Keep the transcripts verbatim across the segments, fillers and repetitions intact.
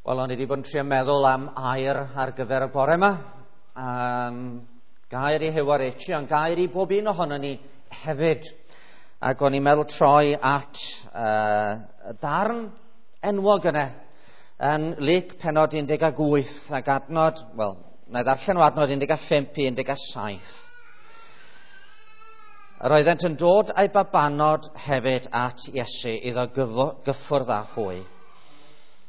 Wel, o'n i wedi bod yn trio meddwl am air ar gyfer y bore yma. Um, gair i Huw a Richie, ond gair i bob un ohono ni hefyd. Ac o'n i'n meddwl troi at uh, y darn enwog yna yn Luc pennod un deg wyth ac adnod, wel, na i ddarllen o adnod un deg pump i un deg saith. Yr oeddent yn dod â'i babanod hefyd at Iesu iddo gyffwrdd â hwy.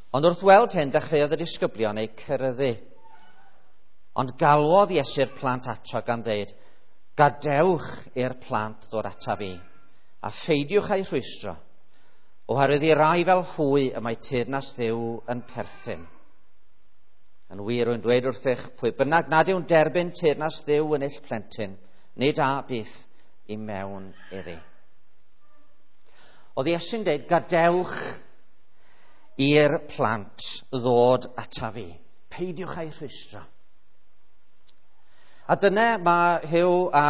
Ond wrth weld hyn, dechreuodd y disgyblion eu ceryddu. Ond galwodd Iesu'r plant ato gan ddeud, gadewch i'r plant ddod ataf fi, a pheidiwch â'u rhwystro, oherwydd i rai fel hwy y mae teyrnas Dduw yn perthyn. Yn wir, rwy'n dweud wrthych, pwy bynnag nad yw'n derbyn teyrnas Dduw yn eich plentyn, nid a byth i mewn iddi. Oedd Iesu'n dweud, gadewch i'r plant ddod ataf fi. Peidiwch â'u rhwystro. A dyna mae Huw a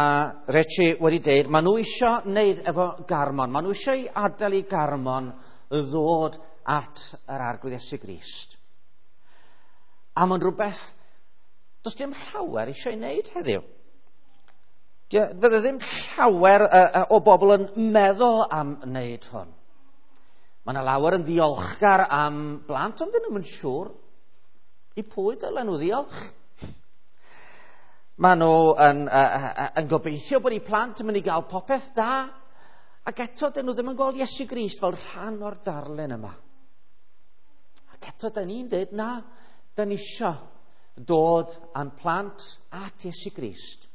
Richie wedi dweud, maen nhw eisiau wneud efo Garmon. Maen nhw eisiau i adael i Garmon ddod at yr Arglwydd Iesu Grist. A mae'n rhywbeth, does dim llawer eisiau ei wneud heddiw. Fydde ddim llawer o bobl yn meddwl am wneud hwn. Mae yna lawer yn ddiolchgar am blant, ond dyn nhw'n siŵr i pwy dylen nhw ddiolch. Maen nhw yn, uh, yn gobeithio bod eu plant yn mynd i gael popeth da, ac eto dyn nhw ddim yn gweld Iesu Grist fel rhan o'r darlun yma. Ac eto dyn ni'n dweud, na, dyn ni isio dod â'n plant at Iesu Grist.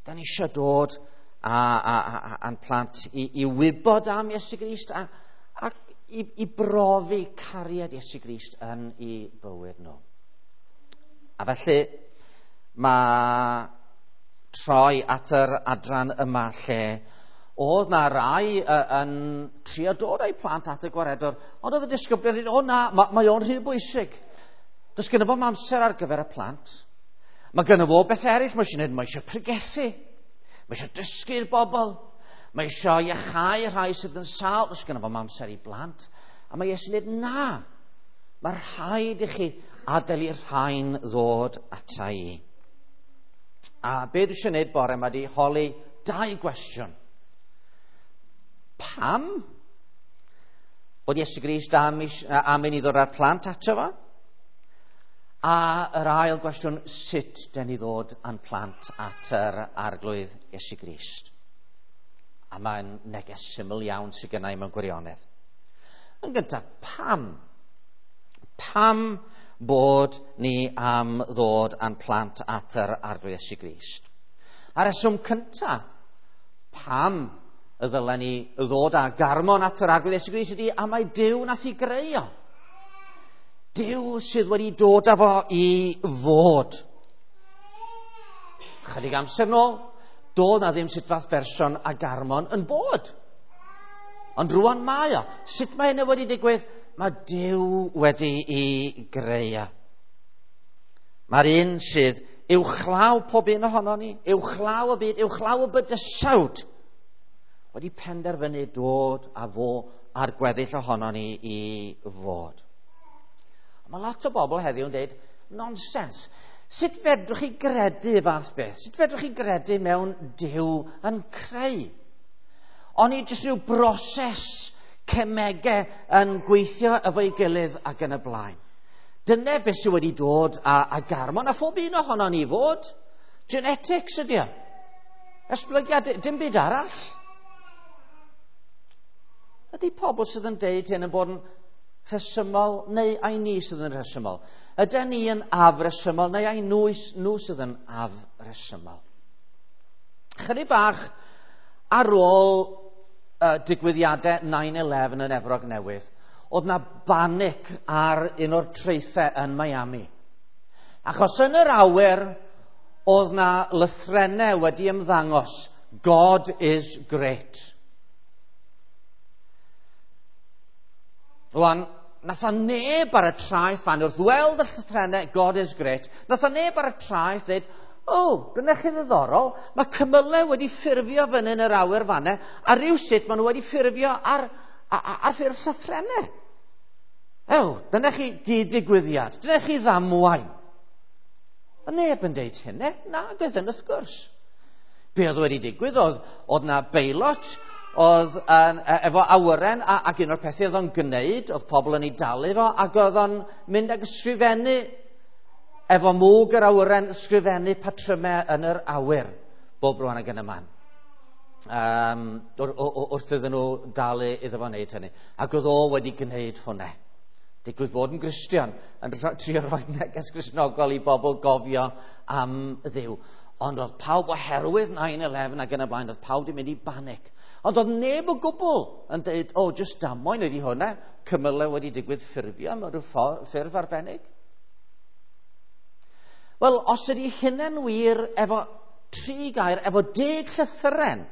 Dyn ni isio dod â, a, a, â'n plant i, i wybod am Iesu Grist a, ac i, i brofi cariad Iesu Grist yn ei bywyd nhw. A felly mae troi at yr adran yma lle oedd na rai yn trio dod â'u plant at y gwaredwr, ond oedd y disgyblion yn dweud, o na, mae, mae o'n rhy bwysig. Does gynno fo'm amser ar gyfer y plant. Mae gynno fo beth eraill, mae eisiau gwneud, mae eisiau pregethu, mae eisiau dysgu'r bobl, mae eisiau iachau rhai sydd yn sâl, does gynno fo'm amser i blant. A mae Iesu'n dweud, na, mae rhaid i chi adael i'r rhain ddod ata i. A be dwi eisiau gwneud bore yma di holi dau gwestiwn. Pam bod Iesu Grist am, am i ni ddod â'r plant ato fo? A yr ail gwestiwn, sut den ni ddod â'n plant at yr Arglwydd Iesu Grist? A mae'n neges syml iawn sydd gennau mewn gwirionedd. Yn gyntaf, pam? Pam bod ni am ddod â'n plant at yr Arglwydd Iesu Grist? A'r reswm cyntaf, pam y ddylen ni ddod â Garmon at yr Arglwydd Iesu Grist ydy am mai Duw nath i greu o. Duw sydd wedi dod â fo i fod. Chydig amser nôl, doedd na ddim sut fath berson a Garmon yn bod. Ond rwan mae o. Sut mae hynny wedi digwydd? Mae Duw wedi i greu o. Mae'r un sydd uwchlaw pob un ohono ni, uwchlaw y byd, uwchlaw y bydysawd, wedi penderfynu dod â fo a'r gweddill ohono ni i fod. Mae lot o bobl heddiw yn dweud, nonsens. Sut fedrwch chi gredu fath beth? Sut fedrwch chi gredu mewn Duw yn creu? Oni jyst rhyw broses cemegau yn gweithio efo'i gilydd ac yn y blaen. Dyna beth sydd wedi dod â, â Garmon, a phob un ohono ni fod. Genetics ydy o. Esblygiad, dim byd arall. Ydy pobl sydd yn deud hyn yn bod yn rhesymol neu ai ni sydd yn rhesymol? Ydyn ni yn afresymol neu ai nhw, nhw sydd yn afresymol? Chydig bach ar ôl uh, digwyddiadau nine eleven yn Efrog Newydd, oedd na banic ar un o'r traethau yn Miami. Achos yn yr awyr oedd na lythrennau wedi ymddangos, God is great. Rwan, nath a neb ar y traeth fan wrth weld y llythrennau God is great, nath a neb ar y traeth dweud, o, oh, dyna chi ddiddorol, mae cymylau wedi ffurfio fyny yn yr awyr fanna, a rhywsut maen nhw wedi ffurfio ar, ar, ar ffurf llythrennau. Ew, dyna chi gyd-digwyddiad, dyna chi ddamwain. A neb yn deud hynny, na, gyda wrth gwrs. Be oedd wedi digwydd oedd, oedd na beilot oedd yn, efo awyren a, ac un o'r pethau oedd o'n gwneud, oedd pobl yn ei dalu fo, ac oedd o'n mynd ag ysgrifennu efo mwg yr awyren, ysgrifennu patrymau yn yr awyr, bob rwan ag yn y man. Um, wrth iddyn nhw dalu iddo fo wneud hynny. Ac oedd o wedi gwneud hwnna. Digwydd bod yn Gristion, yn trio rhoi neges Gristnogol i bobl gofio am Dduw. Ond oedd pawb oherwydd nine eleven ac yn y blaen, oedd pawb wedi mynd i banic. Ond oedd neb o gwbl yn dweud, o, oh, jyst damwain ydi hwnna, cymylau wedi digwydd ffurfio mewn rhyw ffurf arbennig. Wel, os ydy hynny'n wir efo tri gair, efo deg llythyren,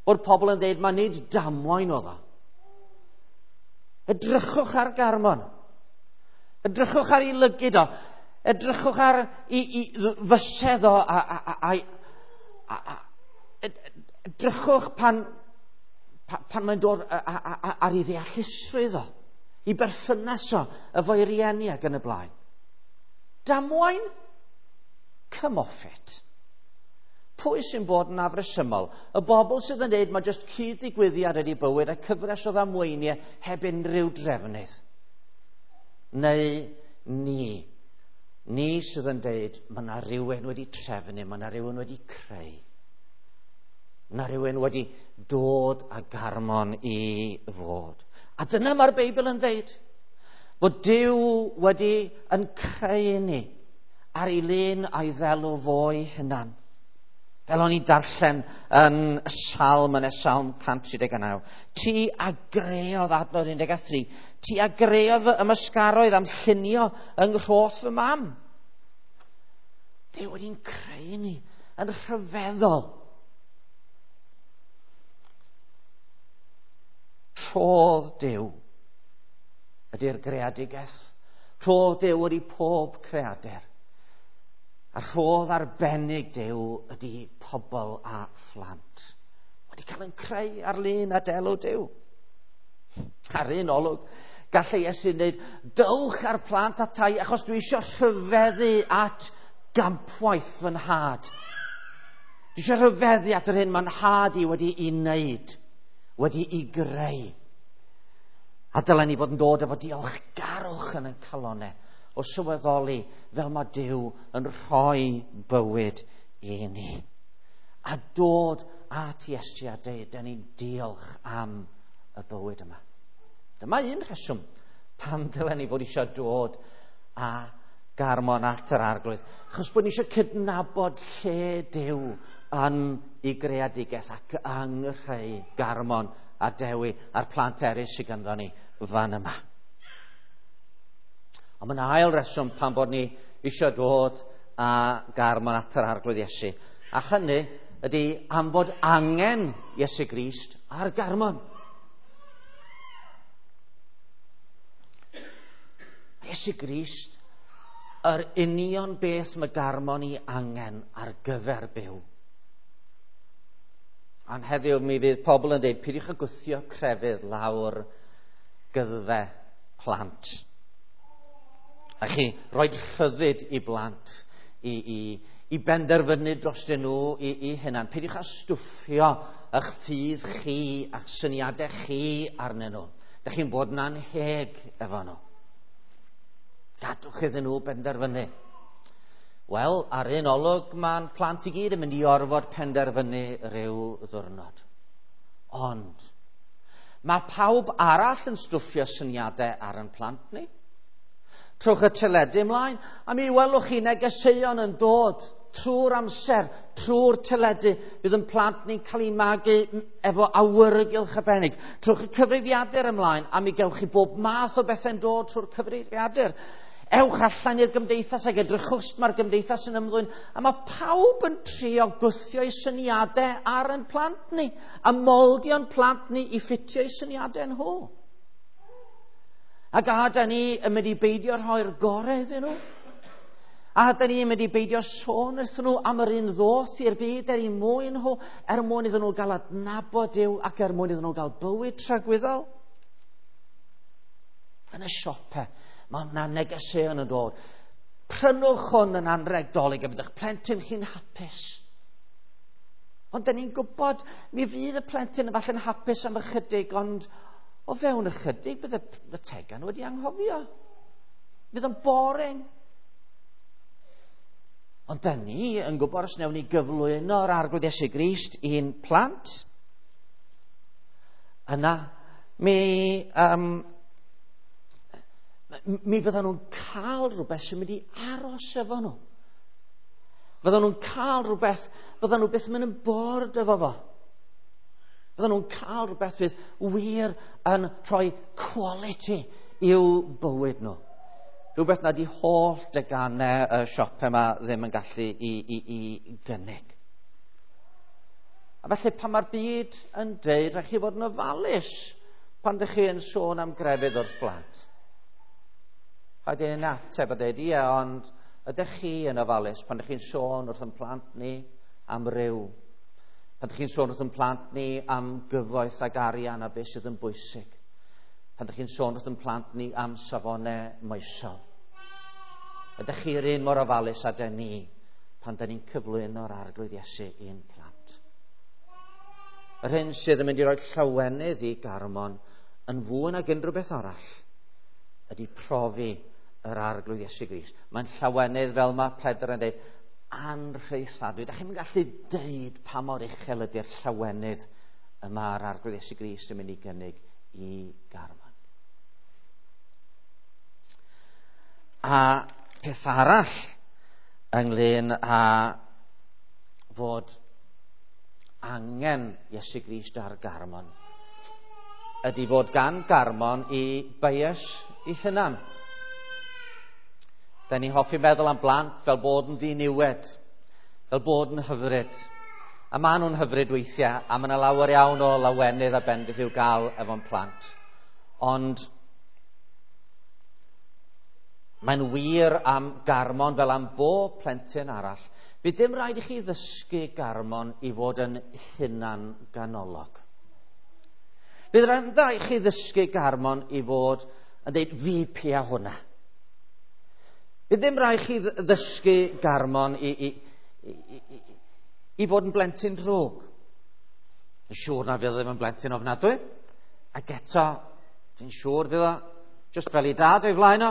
bod pobl yn dweud, mae nid damwain oedd o. Edrychwch ar Garmon. Edrychwch ar ei lygid o. Edrychwch ar ei, ei fysedd o. A, a, a, a, a, edrychwch pan, pan, pan mae'n dod a, a, a, ar ei ddeallusrwydd o. I berthynas o, efo'i rieni ac yn y blaen. Damwain? Come off it. Pwy sy'n bod yn afresymol? Y bobl sydd yn dweud mae jyst cyd-ddigwyddiad ydi bywyd a cyfres o ddamweiniau heb unrhyw drefnydd. Neu ni. Ni sydd yn dweud mae yna rhywun wedi trefnu, mae yna rhywun wedi creu. Mae yna rhywun wedi dod â Garmon i fod. A dyna mae'r Beibl yn dweud. Bod Duw wedi yn creu ni ar ei lun a'i ddelw fo'i hunan. Fel o'n i'n darllen yn y Salm, yn y Salm cant tri deg naw. Ti a greodd, adnod un deg tri, ti a greodd fy ymysgaroedd am llunio yng nghroth fy mam. Duw wedi'n creu ni yn rhyfeddol. Rhodd Duw ydy'r greadigaeth. Rhodd Duw ydy pob creadur. A rhodd arbennig Duw ydy pobl a phlant. Wedi cael yn creu ar lun a delw Duw. Ar un olwg, gallai Iesu wneud, dywch ar plant atai, achos dwi eisiau rhyfeddu at gampwaith fy nhad. Dwi eisiau rhyfeddu at yr hyn mae'n nhad i wedi ei wneud, wedi ei greu. A dylen ni fod yn dod efo diolchgarwch yn ein calonnau, o sylweddoli fel mae Duw yn rhoi bywyd i ni. A dod at Iesu a deud, da ni'n diolch am y bywyd yma. Dyma un rheswm pam dylen ni fod eisiau dod â Garmon at yr Arglwydd. Achos bod ni eisiau cydnabod lle Duw yn ei greadigaeth ac yng nghreu Garmon a Dewi a'r plant eraill sydd ganddo ni fan yma. Ond mae'n ail reswm pan bod ni eisiau dod â Garmon at yr Arglwydd Iesu. A hynny ydy am fod angen Iesu Grist ar Garmon. Iesu Grist, yr union beth mae Garmon i angen ar gyfer byw. Ond heddiw mi fydd pobl yn dweud, peidiwch â gwthio crefydd lawr gyddfe plant. A chi rhoi rhyddid i blant i, i, i benderfynu drostyn nhw i, i hunan. Peidiwch â stwffio eich ffydd chi a'ch syniadau chi arnyn nhw. Dach chi'n bod yn anheg efo nhw. Gadwch iddyn nhw benderfynu. Wel, ar un olwg, mae'n plant i gyd yn mynd i orfod penderfynu rhyw ddiwrnod. Ond, mae pawb arall yn stwffio syniadau ar ein plant ni. Trwch y teledu ymlaen, a mi welwch chi negeseuon yn dod trwy'r amser, trwy'r teledu, bydd yn plant ni'n cael ei magu efo awyrgylch arbennig. Trwch y cyfrifiadur ymlaen, a mi gewch chi bob math o bethau'n dod trwy'r cyfrifiadur. Ewch allan i'r gymdeithas ac edrychwch sut mae'r gymdeithas yn ymddwyn. A mae pawb yn trio gwthio eu syniadau ar ein plant ni, a moldio'n plant ni i ffitio eu syniadau nhw. Ac a da ni yn mynd i beidio rhoi'r gorau iddyn nhw. A da ni yn mynd i beidio sôn wrthyn nhw am yr un ddoth i'r byd er eu mwyn nhw, er mwyn iddyn nhw gael adnabod Duw ac er mwyn iddyn nhw gael bywyd tragwyddol. Yn y siopau, mae yna negeseuon yn dod. Prynwch hwn yn anreg Dolig a bydd eich plentyn chi'n hapus. Ond da ni'n gwybod, mi fydd y plentyn yn falle'n hapus am ychydig, ond o fewn ychydig bydd y, y tegan wedi anghofio. Fydd o'n boring. Ond da ni yn gwybod os wnawn ni gyflwyno'r Arglwydd Iesu Grist i'n plant, yna mi, um, mi fyddan nhw'n cael rhywbeth sy'n mynd i aros efo nhw. Fyddan nhw'n cael rhywbeth, fyddan nhw byth yn mynd yn bored efo fo. Fyddan nhw'n cael rhywbeth fydd wir yn rhoi quality i'w bywyd nhw. Rhywbeth nad i holl deganau y siop yma ddim yn gallu i, i, i gynnig. A felly pan mae'r byd yn deud, rhaid chi fod yn ofalus pan ydych chi yn sôn am grefydd wrth blant. Rhaid i'n ateb a dweud, ie, ond ydych chi yn ofalus pan ydych chi'n sôn wrth yn plant ni am ryw? Pan ydych chi'n sôn wrth yn plant ni am gyfoeth ag arian a beth sydd yn bwysig? Pan ydych chi'n sôn wrth yn plant ni am safonau moesol? Ydych chi'r un mor ofalus â dyn ni pan dyn ni'n cyflwyno'r Arglwydd Iesu i'n plant? Yr hyn sydd yn mynd i roi llawenydd i Garmon yn fwy nag unrhyw beth arall ydy profi yr Arglwydd Iesu Grist. Mae'n llawenydd, fel mae Pedr yn dweud, anrheithadwy. Da chi'n gallu deud pa mor uchel ydy'r llawenydd y mae'r Arglwydd Iesu Grist yn mynd i gynnig i Garmon. A peth arall ynglyn â fod angen Iesu Grist ar Garmon ydy fod gan Garmon i bias i hunan. Da ni hoffi meddwl am blant fel bod yn ddiniwed, fel bod yn hyfryd. A maen nhw'n hyfryd weithiau, a mae yna lawer iawn o lawenydd a bendith i'w gael efo'n plant. Ond mae'n wir am Garmon fel am bob plentyn arall. Bydd dim rhaid i chi ddysgu Garmon i fod yn hunan ganolog. Bydd rhaid i chi ddysgu Garmon i fod yn dweud fi pia hwnna. Bydd ddim rhaid chi ddysgu Garmon i, i, i, i, i fod yn blentyn drwg. Yn siŵr na fydd ddim yn blentyn ofnadwy. Ac eto, dwi'n siŵr fydd o, just fel i dad o'i flaen o,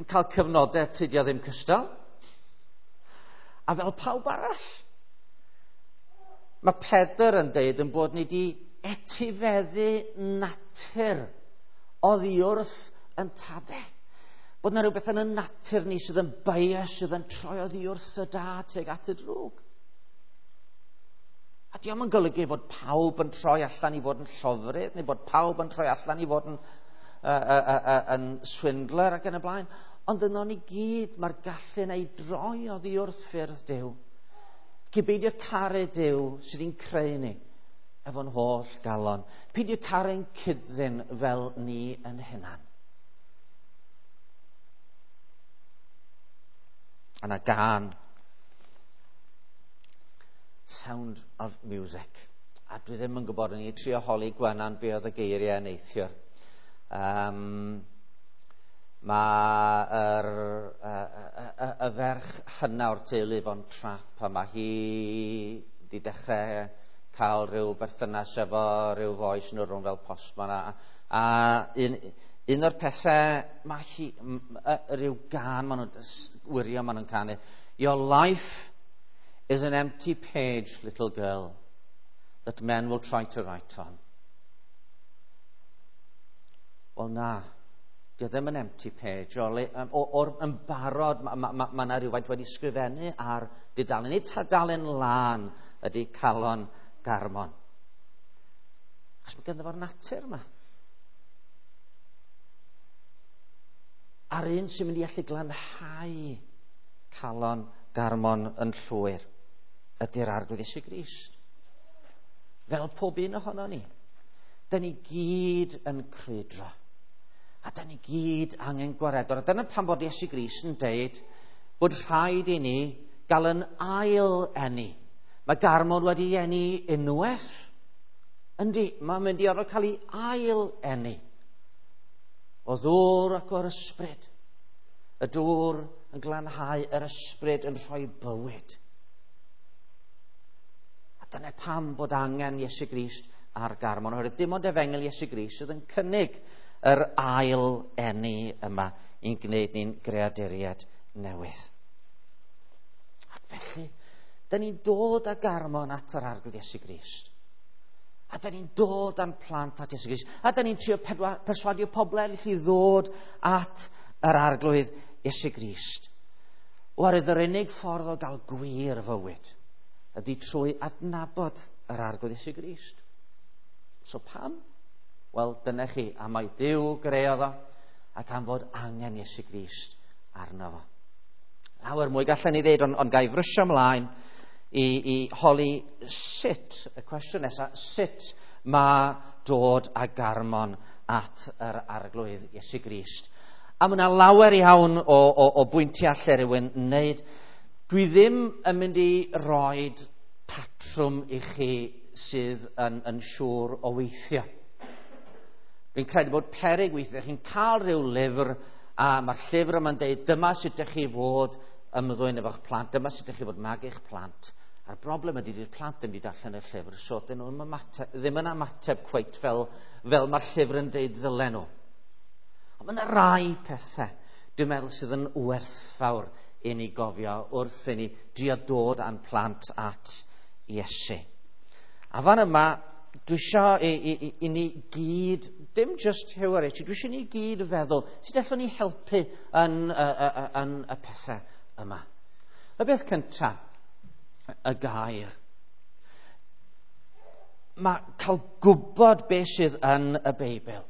yn cael cyfnodau pryd o ddim cystal. A fel pawb arall. Mae Pedr yn deud yn bod ni wedi etifeddu natur oddi wrth yn tadau. Bod yna rhywbeth yn y natur ni sydd yn bias, sydd yn troi oddi wrth y da tuag at y drwg. A diolch yn golygu fod pawb yn troi allan i fod yn llofrydd, neu bod pawb yn troi allan i fod yn, uh, uh, uh, uh, yn swindler ac yn y blaen. Ond yno ni gyd mae'r gallu yna i droi oddi wrth ffyrdd Duw. Cyn beidio caru Duw sydd yn creu ni efo'n holl galon. Peidio caru'n cyddyn fel ni yn hunan. A na gan Sound of Music. A dwi ddim yn gwybod, o'n i trio holi Gwenan be oedd y geiriau neithiwr. Um, mae yr, y, y, y, y ferch hynna o'r teulu fo'n trap, a mae hi wedi dechrau cael rhyw berthynas efo rhyw foi sy'n rhwng fel postman. A, a un, un o'r pethau, mae hi, rhyw gan maen nhw'n wirio maen nhw'n canu. Your life is an empty page, little girl, that men will try to write on. Wel na, dio ddim yn empty page. O, o, o'r yn barod, mae ma, ma, ma yna rhywfaint wedi sgrifennu ar dudalen. Nid tudalen lân ydy calon Garmon. Achos mae ganddo fo'r natur yma. A'r un sy'n mynd i allu glanhau calon Garmon yn llwyr ydy'r Arglwydd Iesu Grist. Fel pob un ohono ni. Da ni gyd yn crwydro. A da ni gyd angen gwaredwr. A dyna pam bod Iesu Grist yn deud bod rhaid i ni gael yn ail eni. Mae Garmon wedi eni unwaith. Yndi, mae'n mynd i orfod cael ei ail eni. O ddŵr ac o'r ysbryd. Y dŵr yn glanhau, yr ysbryd yn rhoi bywyd. A dyna pam bod angen Iesu Grist ar garmon. Oherwydd dim ond efengyl Iesu Grist sydd yn cynnig yr ail eni yma i'n gwneud ni'n greaduriaid newydd. Ac felly, da ni'n dod â garmon at yr Arglwydd Iesu Grist. A da ni'n dod â'n plant at Iesu Grist. A da ni'n trio perswadio pobl eraill i ddod at yr Arglwydd Iesu Grist. Oherwydd yr unig ffordd o gael gwir fywyd ydy trwy adnabod yr Arglwydd Iesu Grist. So pam? Wel, dyna chi, am mai Duw greodd o, ac am fod angen Iesu Grist arno fo. Lawer mwy gallen ni ddeud, ond, ond ga i frysio ymlaen i, i holi sut, y cwestiwn nesaf, sut mae dod â garmon at yr Arglwydd Iesu Grist. A mae yna lawer iawn o, o, o bwyntiau lle rhywun wneud. Dwi ddim yn mynd i roed patrwm i chi sydd yn, yn siŵr o weithio. Fi'n credu bod peryg weithiau, chi'n cael rhyw lyfr, a mae'r llyfr yma'n deud, dyma sut ydych chi fod ymddwyn efo'ch plant, dyma sut ydych chi fod magu'ch plant. A'r broblem ydy, dydy'r plant ddim wedi darllen y llyfr, so dyn nhw ddim yn ymateb cweit fel, fel mae'r llyfr yn deud ddylen nhw. Ond mae yna rai pethau, dwi'n meddwl, sydd yn werthfawr i ni gofio wrth i ni drio dod â'n plant at Iesu. A fan yma, dwi eisiau i, i, i, i ni gyd, dim just Huw a Richie, dwi eisiau ni gyd feddwl, sut allwn ni helpu yn, y, y, yn y pethau yma. Y beth cyntaf, y gair. Mae cael gwybod beth sydd yn y Beibl,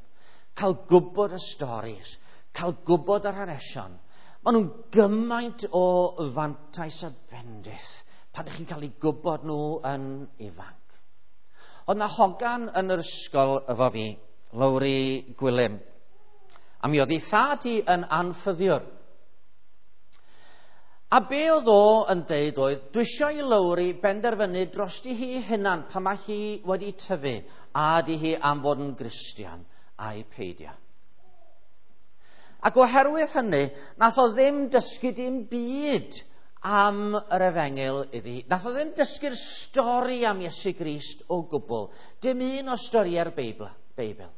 cael gwybod y storis, cael gwybod yr hanesion, maen nhw'n gymaint o fantais a bendith pan ydych chi'n cael eu gwybod nhw yn ifanc. Oedd na hogan yn yr ysgol efo fi, Lowri Gwilym, a mi oedd ei thad hi yn anffyddiwr. A be oedd o yn deud oedd, dwi eisiau i Lowri benderfynu drosti hi hunan pan mae hi wedi tyfu, a ydi hi am fod yn Gristion a'i peidio. Ac oherwydd hynny, nath o ddim dysgu dim byd am yr efengyl iddi. Nath o ddim dysgu'r stori am Iesu Grist o gwbl. Dim un o storiau'r Beibl. Beibl.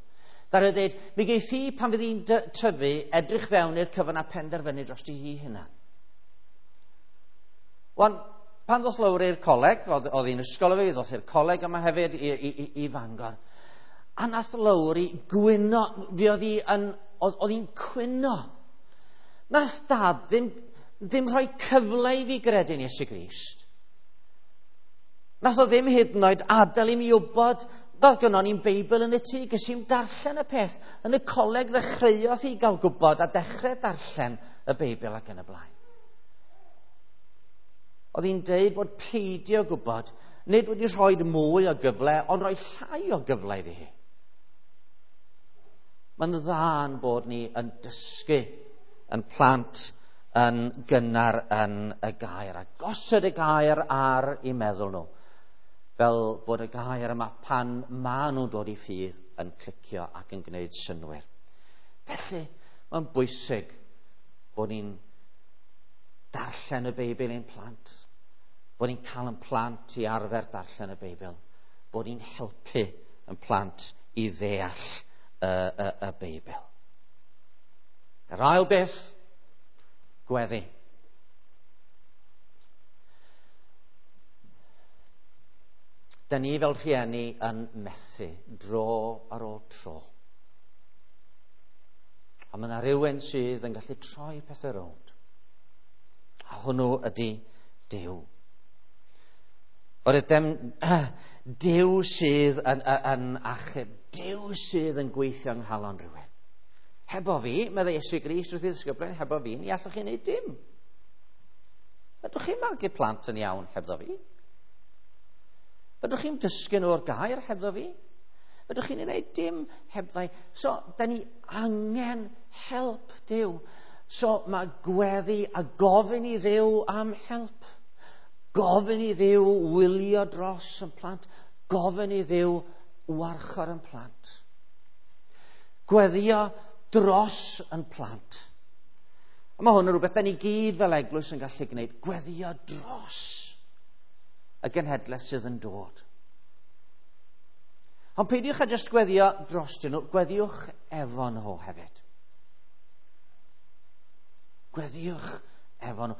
Ddaru o ddeud, mi geith hi pan fydd hi'n tyfu edrych fewn i'r cyfan a penderfynu drosti hi hunan. Wan, pan ddoth Lowri i'r coleg, oedd, oedd hi'n ysgol efo fi, ddoth i'r coleg yma hefyd i, i, i, i Fangor. A nath Lowri gwyno, fi oedd hi yn, oedd, oedd hi'n cwyno. Nath dad ddim, ddim rhoi cyfle i fi gredu'n Iesu Grist. Nath o ddim hyd yn oed adael i mi wybod, doedd gynnon ni'n Beibl yn y tŷ, ges i'm darllen y peth. Yn y coleg ddechreuodd hi gael gwybod a dechrau darllen y Beibl ac yn y blaen. Oedd hi'n deud bod peidio gwybod, nid wedi rhoi mwy o gyfle, ond rhoi llai o gyfle iddi hi. Mae'n dda'n bod ni yn dysgu yn plant yn gynnar yn y gair, a gosod y gair ar eu meddwl nhw, fel bod y gair yma pan maen nhw'n dod i ffydd yn clicio ac yn gwneud synnwyr. Felly, mae'n bwysig bod ni'n darllen y Beibl i'n plant, bod ni'n cael yn plant i arfer darllen y Beibl, bod ni'n helpu yn plant i ddeall y, y, y Beibl. Yr ail beth, gweddi. Da ni fel rhieni yn methu dro ar ôl tro. A mae yna rhywun sydd yn gallu troi pethau rownd. A hwnnw ydy Duw. Oherwydd dem, Duw sydd yn, yn, yn achub, Duw sydd yn gweithio yng nghalon rhywun. Hebo fi, meddai Iesu Grist wrth ei ddisgyblion, hebo fi, ni allwch chi wneud dim. Fedrwch chi magu plant yn iawn hebddo fi? Fedrwch chi'n dysgu nhw o'r gair hebddo fi? Fedrwch chi'n gwneud dim hebddau. So, da ni angen help Duw. So, mae gweddi a gofyn i Dduw am help. Gofyn i Dduw wylio dros yn plant. Gofyn i Dduw warchod yn plant. Gweddio dros yn plant. A mae hwn yn rhywbeth da ni gyd fel eglwys yn gallu gwneud. Gweddio dros y genhedlaeth sydd yn dod. Ond peidiwch â jyst gweddio drostyn nhw, gweddiwch efo nhw hefyd. Gweddiwch efo nhw.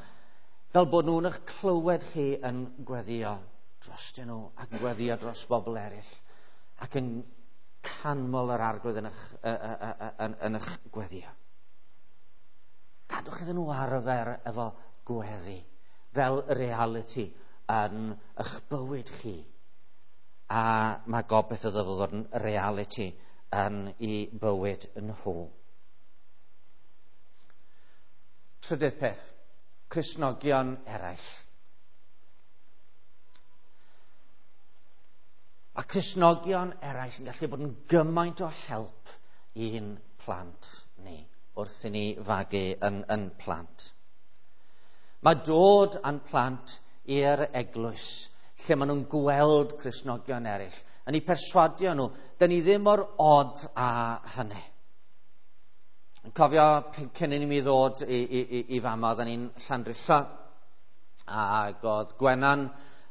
Fel bod nhw'n eich clywed chi yn gweddio drostyn nhw ac yn gweddio dros bobl eraill ac yn canmol yr Arglwydd yn eich, yn, yn eich gweddio. Gadwch iddyn nhw arfer efo gweddi fel reality yn eich bywyd chi. A mae gobeith iddo fo ddod yn reality yn ei bywyd nhw. Trydydd peth, Cristnogion eraill. Mae Cristnogion eraill yn gallu bod yn gymaint o help i'n plant ni wrth i ni fagu yn, yn plant. Mae dod â'n plant i'r eglwys, lle maen nhw'n gweld Cristnogion eraill, yn eu perswadio nhw, dyn ni ddim mor od â hynny. Yn cofio cyn i mi ddod i, i, i, i fama, oedden ni'n Llandrillo, ac oedd Gwenan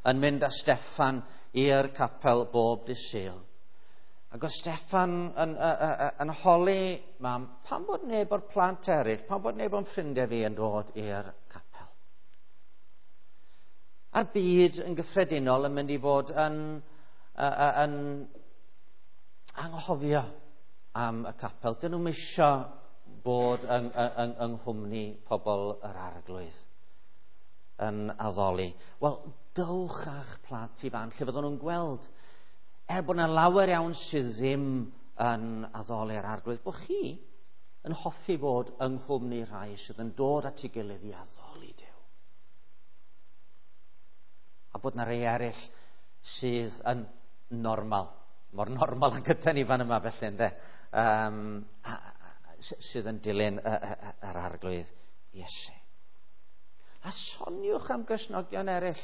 yn mynd â Steffan i'r capel bob dydd Sul. Ac oedd Steffan yn, yn, yn, yn holi mam, pam bod neb o'r plant eraill, pam bod neb o'n ffrindiau fi yn dod i'r capel? A'r byd yn gyffredinol yn mynd i fod yn, yn, yn anghofio am y capel. Dyn nhw'm isio bod yng, yng, yng nghwmni pobl yr Arglwydd yn addoli. Wel, dowch â'ch plant i fan lle fyddwn nhw'n gweld, er bod yna lawer iawn sydd ddim yn addoli'r Arglwydd, bod chi yn hoffi bod yng nghwmni rhai sydd yn dod at ei gilydd i addoli Duw. A bod yna rhai eraill sydd yn normal, mor normal ag ydan ni fan yma felly, ynde, um, a, a, sydd yn dilyn yr Arglwydd Iesu. A soniwch am Gristnogion eraill.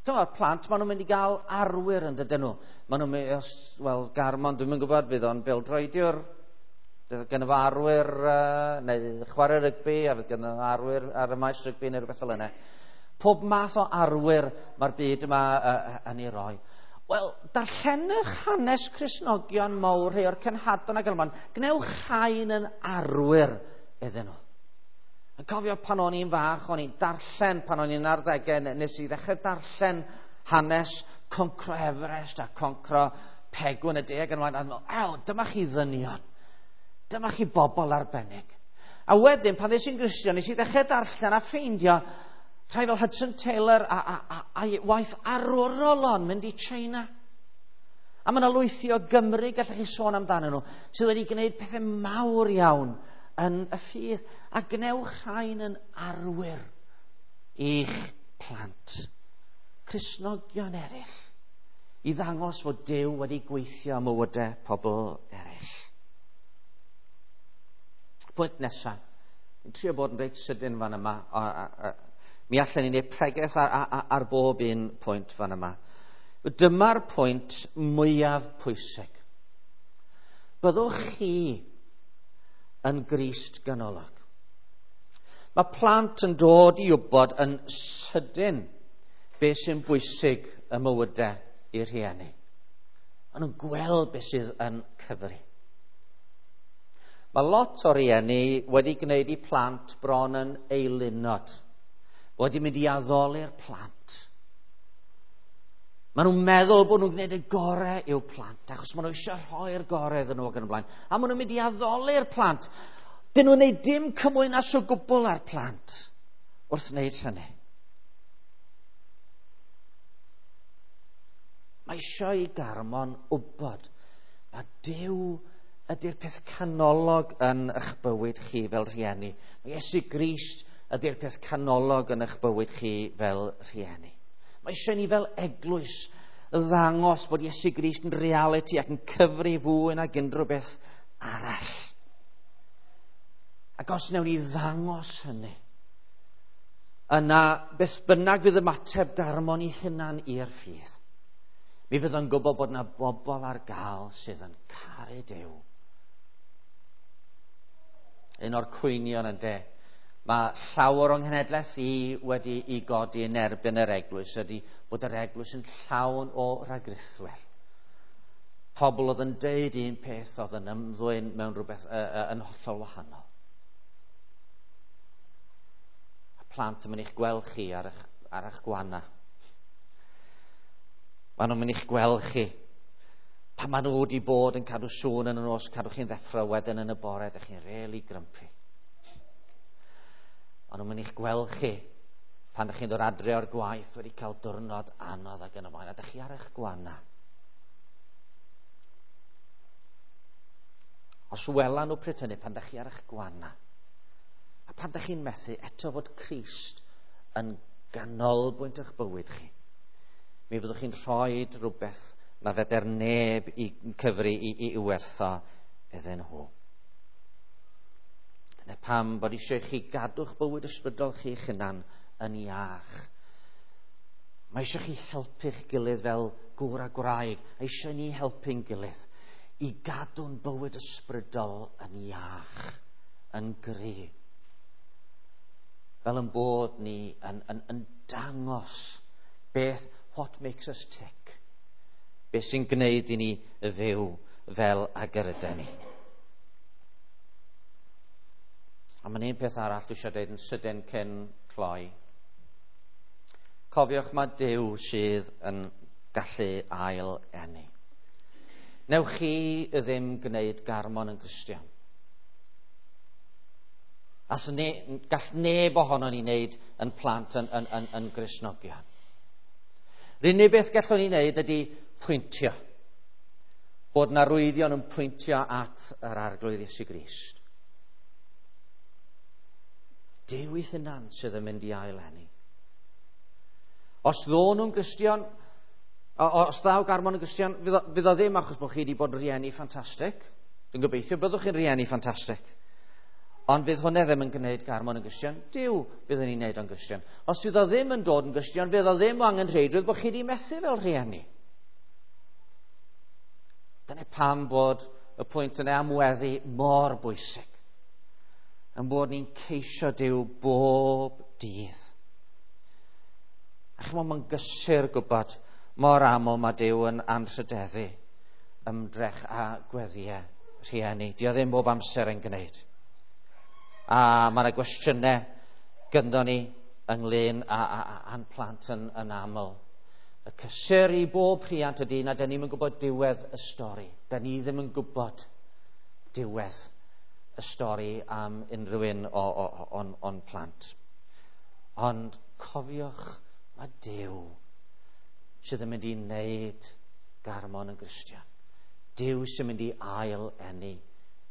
Dyma'r plant, maen nhw'n mynd i gael arwyr yn dydyn nhw. Maen nhw'n mynd, wel, Garmon, dwi'm yn gwybod, fydd o'n bêl-droediwr, fydd gynno fo arwyr, uh, neu chwarae rygbi, a fydd gynno fo arwyr ar y maes rygbi neu rhywbeth fel yna. Pob math o arwyr mae'r byd yma uh, yn ei roi. Wel, darllenwch hanes Cristnogion mawr, rhai o'r cenhadon ac ymlaen. Gwnewch rhain yn arwyr iddyn nhw. Yn cofio pan o'n i'n fach, o'n i'n darllen pan o'n i'n arddegau, nes i ddechrau darllen hanes concro Everest a concro Pegwn y De ac yn ymlaen. A meddwl, ew, dyma chi ddynion. Dyma chi bobl arbennig. A wedyn, pan ddes i'n Gristion, nes i ddechrau darllen a ffeindio rhai fel Hudson Taylor a, a, a, a waith arwrol o'n mynd i China. A mae yna lwythi o Gymru, gallech chi sôn amdanyn nhw, sydd wedi gwneud pethau mawr iawn yn y ffydd. A gwnewch rhain yn arwyr i'ch plant. Cristnogion eraill, i ddangos fod Duw wedi gweithio am mywydau pobl eraill. Pwynt nesaf. Fi'n trio bod yn reit sydyn fan yma. A, a, a, mi allan ni wneud pregeth ar, ar, ar bob un pwynt fan yma. Dyma'r pwynt mwyaf pwysig. Byddwch chi yn Grist ganolog. Mae plant yn dod i wybod yn sydyn beth sy'n bwysig y mywydau i'r rhieni. Maen nhw'n gweld beth sydd yn cyfri. Mae lot o rieni wedi gwneud i plant bron yn eilunod, wedi mynd i addoli'r plant. Maen nhw'n meddwl bod nhw'n gwneud y gorau i'w plant, achos maen nhw eisiau rhoi'r gorau iddyn nhw ac yn y blaen. A maen nhw'n mynd i addoli'r plant. Dyn nhw'n gwneud dim cymwynas o gwbl â'r plant wrth wneud hynny. Mae eisiau i Garmon wybod mae Duw ydy'r peth canolog yn eich bywyd chi fel rhieni. Mae Iesu Grist ydy'r peth canolog yn eich bywyd chi fel rhieni. Mae eisiau ni fel eglwys ddangos bod Iesu Grist yn reality ac yn cyfri fwy nag unrhyw beth arall. Ac os wnawn ni ddangos hynny, yna beth bynnag fydd ymateb Garmon i hunan i'r ffydd, mi fydd o'n gwybod bod yna bobl ar gael sydd yn caru Duw Un o'r cwynion ynde. Mae llawer o'n nghenhedlaeth i wedi i godi yn erbyn yr eglwys ydy bod yr eglwys yn llawn o ragrithwyr. Pobl oedd yn deud un peth oedd yn ymddwyn mewn rhywbeth uh, uh, yn hollol wahanol. A plant yn mynd i'ch gweld chi ar eich, ar eich gwana. Maen nhw'n mynd i'ch gweld chi. Pan maen nhw wedi bod yn cadw sŵn yn y nos, cadw chi'n ddeffro wedyn yn y bore, ydych chi'n rili grumpy. Maen nhw'n mynd i'ch gweld chi pan ydych chi'n dod adre o'r gwaith wedi cael diwrnod anodd ac yn y blaen, a ydych chi ar eich gwana. Os wela nhw pryd hynny, pan ydych chi ar eich gwana, a pan ydych chi'n methu eto fod Crist yn ganolbwynt eich bywyd chi, mi fyddwch chi'n rhoi rhywbeth na feder neb i cyfri i, i, i wertho iddyn nhw. Dyna pam bod eisiau chi gadw'ch bywyd ysbrydol chi'ch hunan yn iach. Mae eisiau chi helpu'ch gilydd fel gŵr a gwraig. A eisiau ni helpu'n gilydd i gadw'n bywyd ysbrydol yn iach, yn gry. Fel yn bod ni yn, yn, yn dangos beth, what makes us tick. Beth sy'n gwneud i ni fyw fel ag yr ydyn ni. A mae'n un peth arall dwi eisiau dweud yn sydyn cyn cloi. Cofiwch mae Duw sydd yn gallu ail eni. Newch chi ddim gwneud Garmon yn Gristion. As ne, gall neb ohono ni wneud yn plant yn, yn, yn, yn Gristnogion. Yr unig beth gallwn ni wneud ydy pwyntio. Bod na rwyddion yn pwyntio at yr Arglwydd Iesu Grist. Duw ei hunan sydd yn mynd i ail eni. Os ddo nhw'n Gristion, os ddaw Garmon yn Gristion, fydd o, fydd o ddim achos bod chi wedi bod yn rieni ffantastig. Dwi'n gobeithio byddwch chi'n rieni ffantastig. Ond fydd hwnna ddim yn gwneud Garmon yn Gristion. Duw fydd yn ei wneud o'n Gristion. Os fydd o ddim yn dod yn Gristion, fydd o ddim o angenrheidrwydd bod chi wedi methu fel rhieni. Dyna pam bod y pwynt yna am weddi mor bwysig. Yn bod ni'n ceisio Duw bob dydd. A chymod, mae'n gysur gwybod mor aml mae Duw yn anrhydeddu ymdrech a gweddiau rhieni. Dio ddim bob amser yn gwneud. A mae yna gwestiynau gynddo ni ynglyn â, â, â, â'n plant yn, yn aml. Y cysur i bob rhiant ydy na dyn ni'm yn gwybod diwedd y stori. Dyn ni ddim yn gwybod diwedd y stori am unrhyw un o'n, o'n plant. Ond cofiwch, mae Duw sydd yn mynd i wneud Garmon yn Gristion. Duw sy'n mynd i ail eni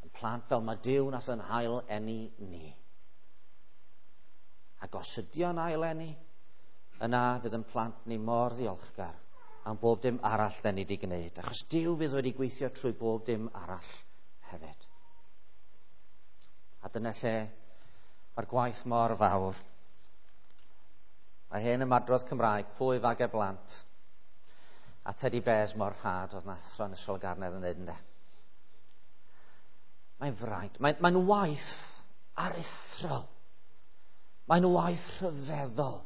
yn plant fel mae Duw nath yn ail eni ni. Ac os ydy o'n ail eni, yna fydd yn plant ni mor ddiolchgar am bob dim arall den ni wedi gwneud. Achos Duw fydd wedi gweithio trwy bob dim arall hefyd. A dyna lle mae'r gwaith mor fawr. Mae hen ymadrodd Cymraeg, pwy fage blant, a teddy bears mor rhad oedd na athro yn Ysgol Garnedd yn dweud ynde. Mae'n fraint, mae'n, mae'n waith aruthrol, mae'n waith rhyfeddol,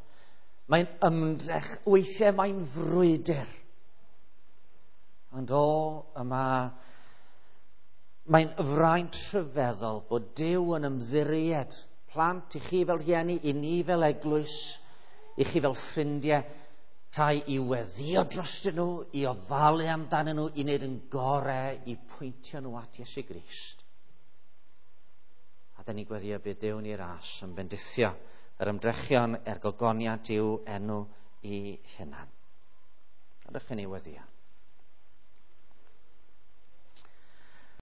mae'n ymdrech, weithiau mae'n frwydr. Ond o, yma, mae'n fraint rhyfeddol bod Duw yn ymddiried plant i chi fel rhieni, i ni fel eglwys, i chi fel ffrindiau, rhai i weddio drostyn nhw, i ofalu amdanyn nhw, i wneud yn gorau, i pwyntio nhw at Iesu Grist. A da ni'n gweddio bydd Duw ni ras yn bendithio yr ymdrechion er gogoniant i'w enw i hunan. A dych ni weddio.